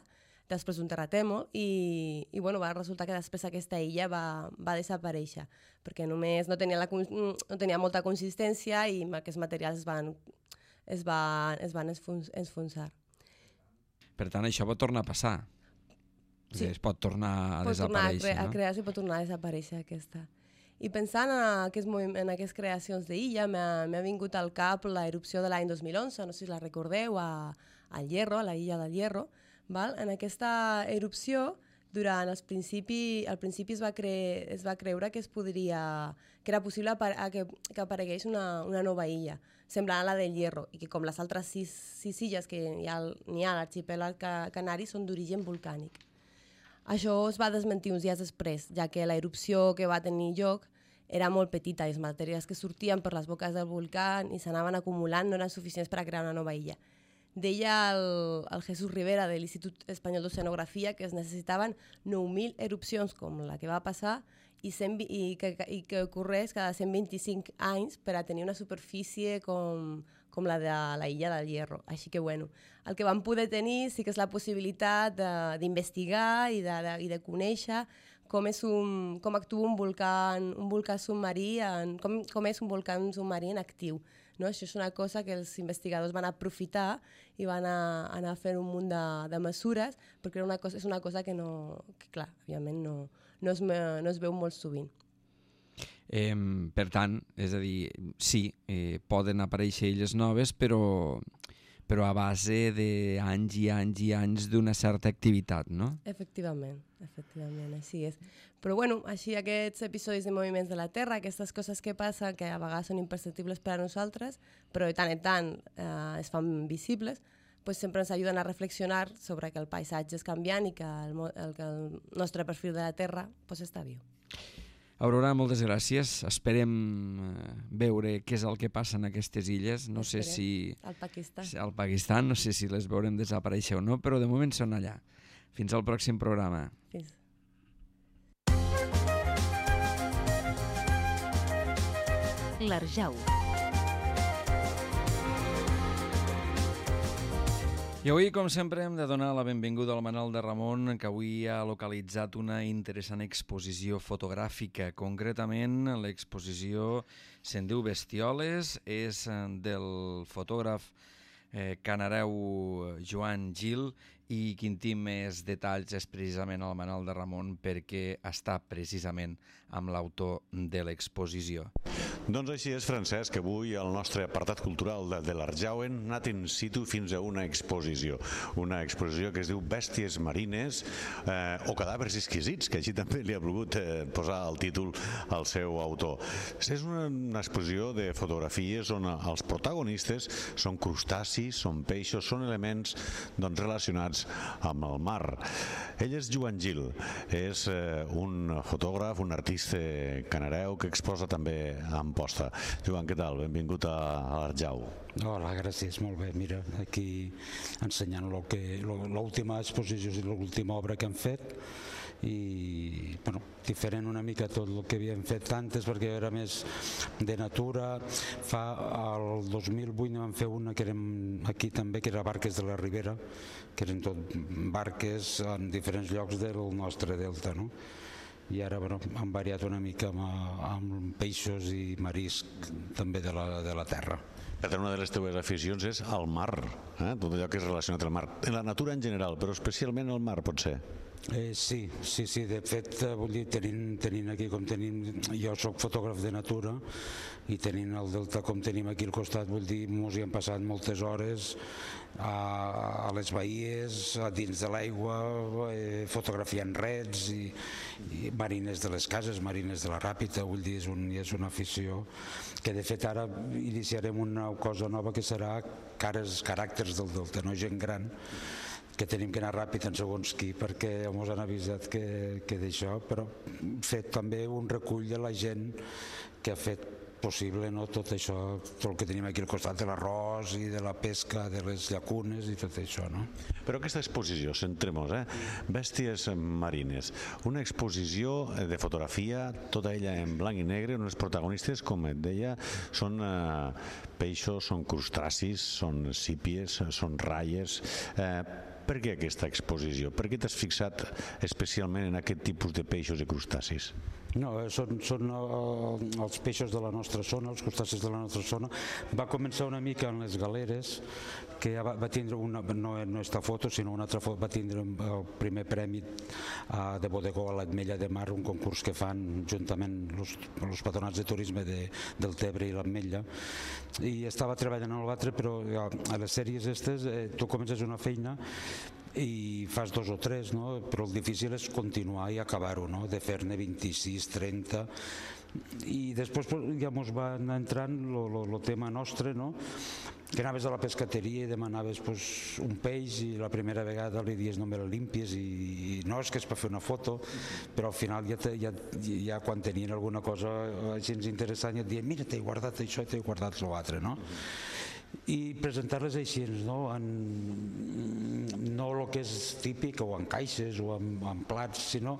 després d'un terratrèmol, i bueno, va resultar que després aquesta illa va desaparèixer, perquè només no tenia molta consistència i aquests materials es van enfonsar. Per tant, això pot tornar a passar. Sí. Es pot tornar a desaparèixer, no? A crear-se i pot tornar a desaparèixer aquesta. I pensant en aquestes creacions d'illa, m'ha vingut al cap la erupció de l'any 2011, no sé si la recordeu, al Hierro, a la illa del Hierro. Val? En aquesta erupció, al principi es va creure que era possible que aparegués una nova illa, semblant a la del Hierro, i que com les altres sis illes que n'hi ha a l'arxipèlag canari són d'origen volcànic. Això es va desmentir uns dies després, ja que la erupció que va tenir lloc era molt petita i les matèries que sortien per les boques del volcà i s'anaven acumulant no eren suficients per a crear una nova illa. Deia el Jesús Rivera de l'Institut Espanyol d'Oceanografia que es necessitaven 9.000 erupcions com la que va passar i que ocorrés cada 125 anys per a tenir una superfície com la de la illa del Hierro. Així que, bueno, el que vam poder tenir sí que és la possibilitat d'investigar i de conèixer com actua un volcà submarí, com és un volcà submarí en actiu. No? Això és una cosa que els investigadors van aprofitar i van anar a fer un munt de mesures, perquè és una cosa que clar, òbviament no es veu molt sovint. Per tant, és a dir, sí, poden aparèixer illes noves, però a base d'anys i anys i anys d'una certa activitat, no? Efectivament, així és. Però bueno, així aquests episodis de moviments de la Terra, aquestes coses que passen, que a vegades són imperceptibles per a nosaltres, però de tant en tant es fan visibles, pues sempre ens ajuden a reflexionar sobre que el paisatge és canviant i que el nostre perfil de la Terra pues, està viu. Aurora, moltes gràcies. Esperem veure què és el que passa en aquestes illes. No sé si... Al Pakistan, no sé si les veurem desaparèixer o no, però de moment són allà. Fins al pròxim programa. Fins. l'Arjau. I avui, com sempre, hem de donar la benvinguda al Manel de Ramon, que avui ha localitzat una interessant exposició fotogràfica. Concretament, l'exposició se'n diu Bestioles, és del fotògraf canareu Joan Gil, i qui en té més detalls és precisament el Manel de Ramon, perquè està precisament amb l'autor de l'exposició. Doncs així és, Francesc, que avui el nostre apartat cultural de l'Arjau hem anat in situ fins a una exposició que es diu Bèsties marines o cadàvers exquisits, que així també li ha volgut posar el títol al seu autor. És una exposició de fotografies on els protagonistes són crustacis, són peixos, són elements relacionats amb el mar. Ell és Joan Gil, és un fotògraf, un artista canareu que exposa també a Amposta. Joan, què tal? Benvingut a l'Arjau. Hola, gràcies, molt bé. Mira, aquí ensenyant l'última exposició i l'última obra que han fet, i diferent una mica tot el que havíem fet antes, perquè era més de natura. El 2008 vam fer una que érem aquí també, que era Barques de la Ribera, que eren tot barques en diferents llocs del nostre delta, no? I ara han variat una mica amb peixos i marisc també de la terra. Per tant, una de les teves aficions és el mar, tot allò que és relacionat amb el mar. En la natura en general, però especialment el mar, potser. Sí, de fet, vull dir, tenint aquí com tenim, jo soc fotògraf de natura, i tenint el delta com tenim aquí al costat, vull dir, ens hi hem passat moltes hores a les baies, a dins de l'aigua, fotografiant rets i marines de les cases, marines de la Ràpita. Vull dir, és una afició que de fet ara iniciarem una cosa nova que serà caràcters del delta, no gent gran, que tenim que anar ràpid en segons qui, perquè ens han avisat que d'això, però fet també un recull de la gent que ha fet possible tot això, tot el que tenim aquí al costat de l'arròs i de la pesca, de les llacunes i tot això, no? Però aquesta exposició, centrem-nos, Bèsties marines, una exposició de fotografia, tota ella en blanc i negre, on els protagonistes, com et deia, són peixos, són crustacis, són sípies, són ratlles. Per què aquesta exposició? Per què t'has fixat especialment en aquest tipus de peixos i crustacis? No, són els peixos de la nostra zona, els crustacis de la nostra zona. Va començar una mica en les galeres, que va tindre no esta foto, sinó una altra foto, va tindre el primer premi de bodegó a l'Ametlla de Mar, un concurs que fan juntament els patronats de turisme del Tebre i l'Ametlla, i estava treballant en l'altre, però a les sèries aquestes tu comences una feina i fas 2 o 3, no? Però el difícil és continuar i acabar-ho, no? De fer-ne 26, 30, i després ja ens va entrant el tema nostre, no? Que anaves a la pescateria i demanaves un peix i la primera vegada li dies no me l'limpies i no, és que és per fer una foto, però al final ja quan tenien alguna cosa així interessant ja et diuen mira, t'he guardat això i t'he guardat l'altre, no? I presentar-les així, no el que és típic o en caixes o en plats, sinó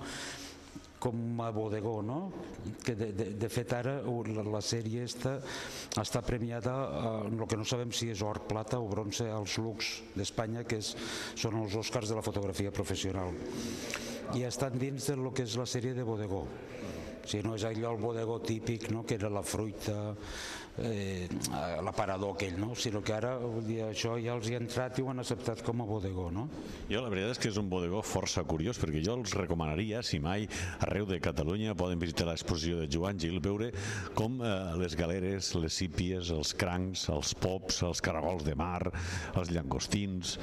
com a bodegó, no? Que de fet ara la sèrie està premiada en el que no sabem si és or, plata o bronze als Lux d'Espanya, que són els Oscars de la fotografia professional, i estan dins del que és la sèrie de bodegó. O sigui, no és allò el bodegó típic, no? Que era la fruita, l'aparador aquell, no? Sinó que ara això ja els hi ha entrat i ho han acceptat com a bodegó, no? Jo la veritat és que és un bodegó força curiós, perquè jo els recomanaria, si mai arreu de Catalunya poden visitar l'exposició de Joan Gil, veure com les galeres, les sípies, els crancs, els pops, els caragols de mar, els llangostins,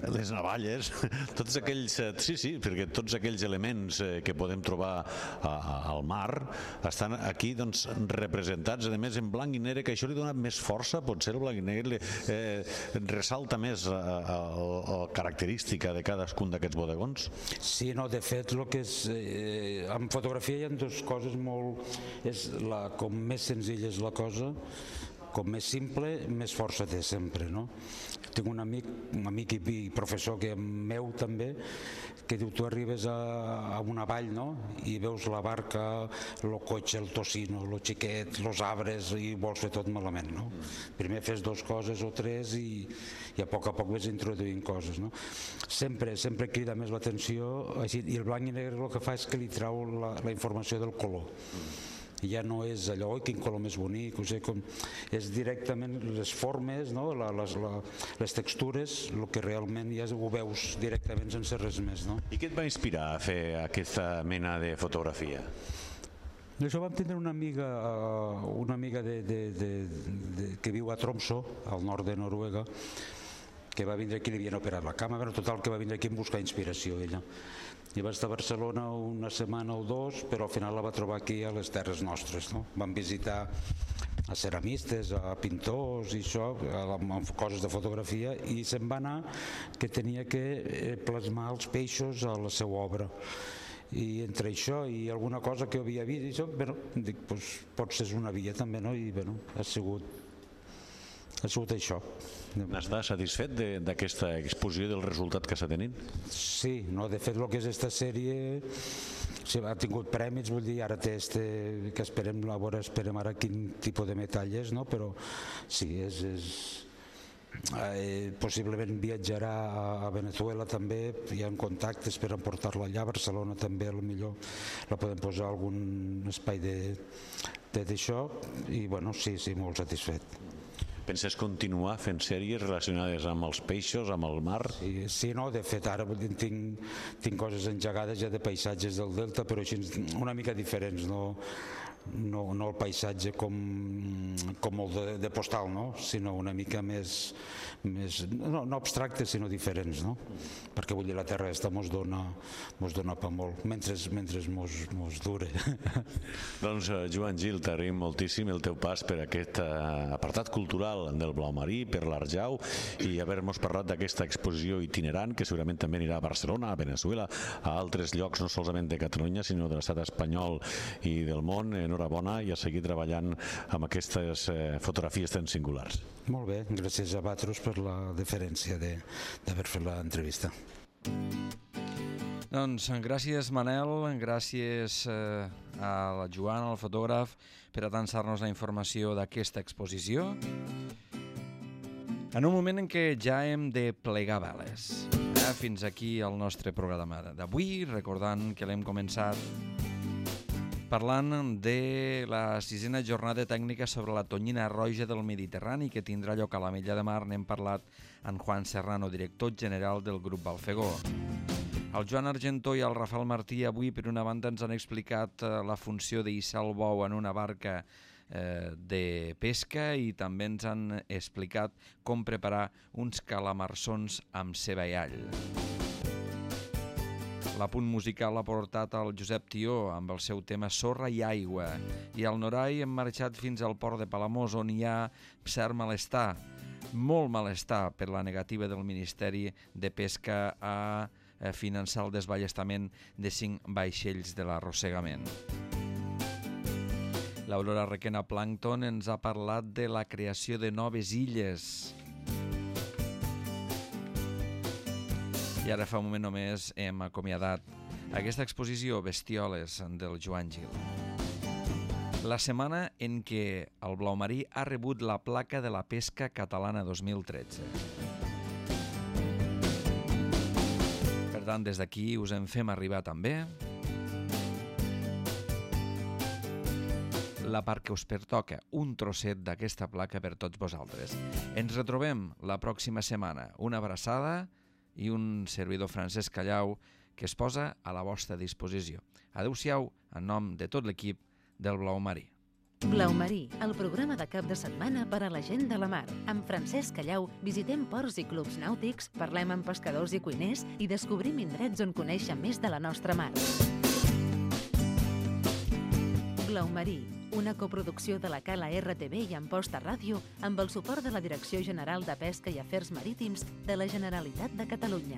les navalles, tots aquells, sí, perquè tots aquells elements que podem trobar al mar estan aquí representats, a més en blanc i negre, que això li dona més força, potser el blanc i negre ressalta més la característica de cadascun d'aquests bodegons? Sí, no, de fet, el que és en fotografia hi ha dues coses molt... com més senzilla és la cosa, com més simple, més força té sempre, no? Tinc un amic i professor que meu també, que diu, tu arribes a una vall, no?, i veus la barca, el cotxe, el tocino, el xiquet, els arbres, i vols fer tot malament, no? Primer fes 2 coses o 3 i a poc ves introduint coses, no? Sempre crida més l'atenció, i el blanc i negre el que fa és que li trau la informació del color. Ja no és allò, oi, quin color més bonic, o sigui, és directament les formes, no? Les textures, el que realment ja ho veus directament sense res més, no? I què et va inspirar a fer aquesta mena de fotografia? Això vam tindre una amiga que viu a Tromsø, al nord de Noruega, que va vindre aquí, li havien operat la cama, total, que va vindre aquí a buscar inspiració, ella. I va estar a Barcelona una setmana o 2, però al final la va trobar aquí a les terres nostres, no? Vam visitar a ceramistes, a pintors i això, amb coses de fotografia, i se'n va anar que tenia que plasmar els peixos a la seva obra. I entre això i alguna cosa que havia vist, i això, dic, potser és una via també, no? I ha sigut això. N'estàs satisfet d'aquesta exposició, del resultat que s'ha tenit? Sí, de fet el que és aquesta sèrie ha tingut premis, vull dir, ara té que esperem ara quin tipus de metall és, però sí, possiblement viatjarà a Venezuela també, hi ha contactes per emportar-la allà, a Barcelona també potser la podem posar a algun espai d'això, i sí, molt satisfet. Penses continuar fent sèries relacionades amb els peixos, amb el mar? Sí, de fet ara tinc coses engegades ja de paisatges del delta, però així una mica diferents, no el paisatge com el de postal, sinó una mica més no abstractes, sinó diferents, perquè vull dir, la terra aquesta mos dona pa molt, mentre mos dure. Doncs Joan Gil, t'agraïm moltíssim el teu pas per aquest apartat cultural del Blau Marí, per l'Arjau, i haver-nos parlat d'aquesta exposició itinerant, que segurament també anirà a Barcelona, a Venezuela, a altres llocs, no solament de Catalunya, sinó de l'estat espanyol i del món. Enhorabona, i a seguir treballant amb aquestes fotografies tan singulars. Molt bé, gràcies a vosaltres per la deferència d'haver fet l'entrevista. Doncs gràcies, Manel, gràcies a la Joan, el fotògraf, per atançar-nos la informació d'aquesta exposició. En un moment en què ja hem de plegar veles. Fins aquí el nostre programa d'avui, recordant que l'hem començat parlant de la 6a jornada tècnica sobre la tonyina roja del Mediterrani, que tindrà lloc a l'Ametlla de Mar. N'hem parlat amb Juan Serrano, director general del grup Balfegó. El Joan Argentó i el Rafael Martí avui, per una banda, ens han explicat la funció d'hissar el bou en una barca de pesca, i també ens han explicat com preparar uns calamarsons amb ceba i all. L'apunt musical l'ha portat el Josep Tió amb el seu tema Sorra i Aigua, i al Norai hem marxat fins al port de Palamós, on hi ha cert malestar, molt malestar, per la negativa del Ministeri de Pesca a finançar el desballestament de 5 vaixells de l'arrossegament. L'Aurora Requena Plàncton ens ha parlat de la creació de noves illes. I ara fa un moment només hem acomiadat aquesta exposició Bestioles del Joan Gil. La setmana en què el Blau Marí ha rebut la placa de la pesca catalana 2013. Per tant, des d'aquí us en fem arribar també la part que us pertoca, un trosset d'aquesta placa per tots vosaltres. Ens retrobem la pròxima setmana. Una abraçada i un servidor, Francesc Callau, que es posa a la vostra disposició. Adéu-siau, en nom de tot l'equip del Blau Marí. Blau Marí, el programa de cap de setmana per a la gent de la mar. Amb Francesc Callau visitem ports i clubs nàutics, parlem amb pescadors i cuiners i descobrim indrets on conèixer més de la nostra mar. Blau Marí, una coproducció de la Cala RTV i Amposta Ràdio amb el suport de la Direcció General de Pesca i Afers Marítims de la Generalitat de Catalunya.